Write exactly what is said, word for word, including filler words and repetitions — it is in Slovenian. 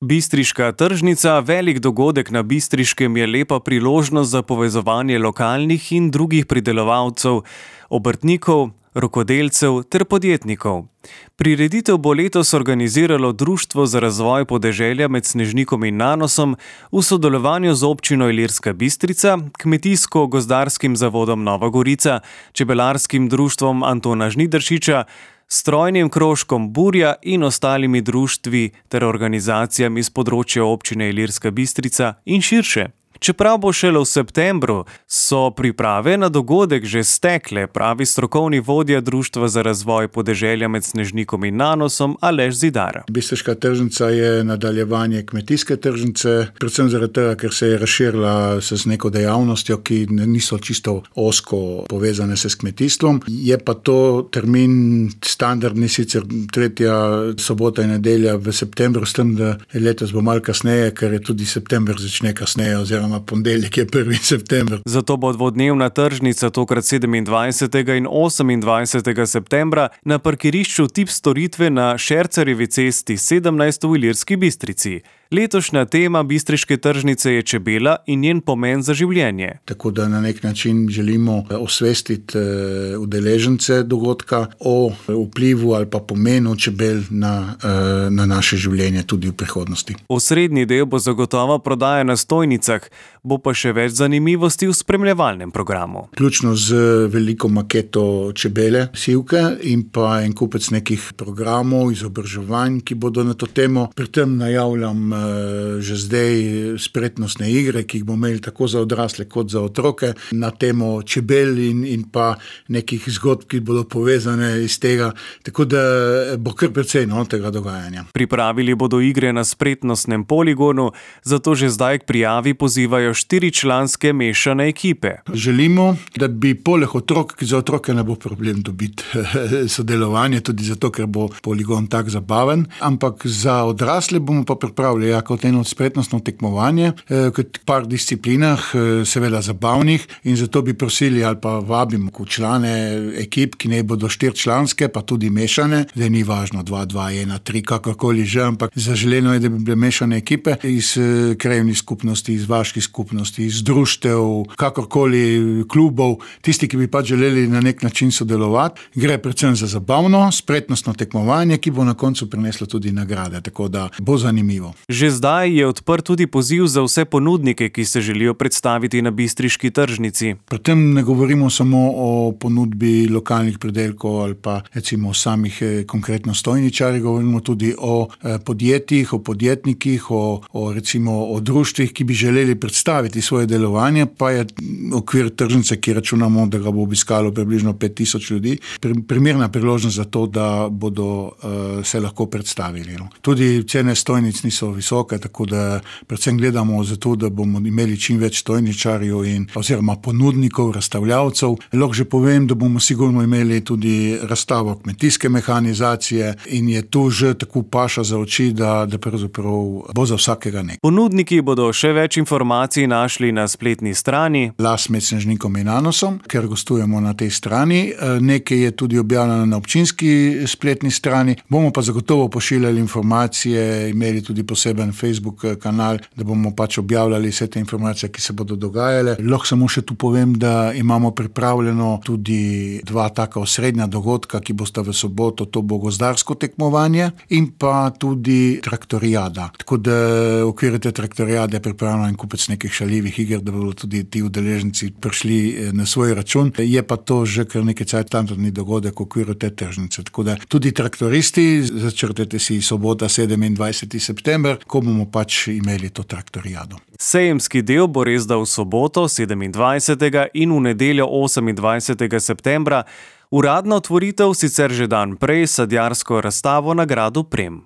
Bistriška tržnica, velik dogodek na Bistriškem, je lepa priložnost za povezovanje lokalnih in drugih pridelovalcev, obrtnikov, rokodelcev ter podjetnikov. Prireditev bo letos organiziralo Društvo za razvoj podeželja med Snežnikom in Nanosom v sodelovanju z občino Ilirska Bistrica, Kmetijsko-gozdarskim zavodom Nova Gorica, Čebelarskim društvom Antona Žnidaršiča, strojnim krožkom Burja in ostalimi društvi ter organizacijami z področja občine Ilirska Bistrica in širše. Čeprav bo šele v septembru, so priprave na dogodek že stekle, pravi strokovni vodja Društva za razvoj podeželja med Snežnikom in Nanosom Aleš Zidar. Bistriška tržnica je nadaljevanje kmetijske tržnice, predvsem zaradi tega, ker se je razširila z neko dejavnostjo, ki niso čisto ozko povezane se s kmetijstvom. Je pa to termin standardni, sicer tretja sobota in nedelja v septembru, s tem, da letos bo malo kasneje, ker je tudi september začne kasneje oziroma ponedeljek je prvi september. Zato bo dvodnevna tržnica tokrat sedemindvajsetega in osemindvajsetega septembra na parkirišču Tip storitve na Šercerjevi cesti sedemnajst v Ilirski Bistrici. Letošnja tema bistriške tržnice je čebela in njen pomen za življenje. Tako da na nek način želimo osvestiti udeležence dogodka o vplivu ali pa pomenu čebel na, na naše življenje tudi v prihodnosti. Osrednji del bo zagotovo prodaja na stojnicah, bo pa še več zanimivosti v spremljevalnem programu. Ključno z veliko maketo čebele, sivke in pa en kupec nekih programov, izobraževanj, ki bodo na to temo. Pri tem najavljam že zdaj spretnostne igre, ki jih bomo imeli tako za odrasle kot za otroke na temo čebel in, in pa nekih zgodb, ki bodo povezane iz tega, tako da bo kar precej no, tega dogajanja. Pripravili bodo igre na spretnostnem poligonu, zato že zdaj k prijavi pozivajo štiričlanske mešane ekipe. Želimo, da bi poleg otrok, ki za otroke ne bo problem dobiti sodelovanje, tudi zato, ker bo poligon tak zabaven, ampak za odrasle bomo pa pripravili ja, kot eno spretnostno tekmovanje, kot par disciplinah, seveda zabavnih, in zato bi prosili ali pa vabimo člane ekip, ki ne bodo štirčlanske, pa tudi mešane, da ni važno dva, dva, ena, tri, kakorkoli že, ampak zaželeno je, da bi bile mešane ekipe iz krajevnih skupnosti, iz vaških skupnosti, iz društev, kakorkoli klubov, tisti, ki bi pa želeli na nek način sodelovati. Gre predvsem za zabavno, spretnostno tekmovanje, ki bo na koncu prineslo tudi nagrade, tako da bo zanimivo. Že zdaj je odprt tudi poziv za vse ponudnike, ki se želijo predstaviti na bistriški tržnici. Pri tem ne govorimo samo o ponudbi lokalnih pridelkov ali pa recimo o samih konkretno stojničarjih, govorimo tudi o podjetjih, o podjetnikih, o, o recimo o društvih, ki bi želeli predstaviti svoje delovanje, pa je okvir tržnice, ki računamo, da ga bo obiskalo približno pet tisoč ljudi, primerna priložnost za to, da bodo uh, se lahko predstavili. No. Tudi cene stojnic niso visoke, tako da predvsem gledamo za to, da bomo imeli čim več stojničarjev in oziroma ponudnikov, razstavljavcev. Lahko že povem, da bomo sigurno imeli tudi razstavo kmetijske mehanizacije in je tu že tako paša za oči, da, da pravzaprav bo za vsakega nekaj. Ponudniki bodo še več informacij našli na spletni strani Las med Snežnikom in Nanosom, ker gostujemo na tej strani. Nekaj je tudi objavljeno na občinski spletni strani. Bomo pa zagotovo pošiljali informacije, imeli tudi poseben Facebook kanal, da bomo pač objavljali vse te informacije, ki se bodo dogajale. Lahko samo še tu povem, da imamo pripravljeno tudi dva taka osrednja dogodka, ki bosta v soboto, to bo gozdarsko tekmovanje in pa tudi traktorijada. Tako da v okviru te traktorijade je pripravljeno en kupec nekih šaljivih iger, da bodo tudi ti udeleženci prišli na svoj račun. Je pa to že kar nekaj cajt standardni dogodek v okviru te tržnice. Tako da tudi traktoristi, začrtajte si sobota sedemindvajseti september, ko bomo pač imeli to traktorijado. Sejemski del bo res da v soboto sedemindvajsetega in v nedeljo osemindvajsetega septembra. Uradna otvoritev sicer že dan prej s sadjarsko razstavo na gradu Prem.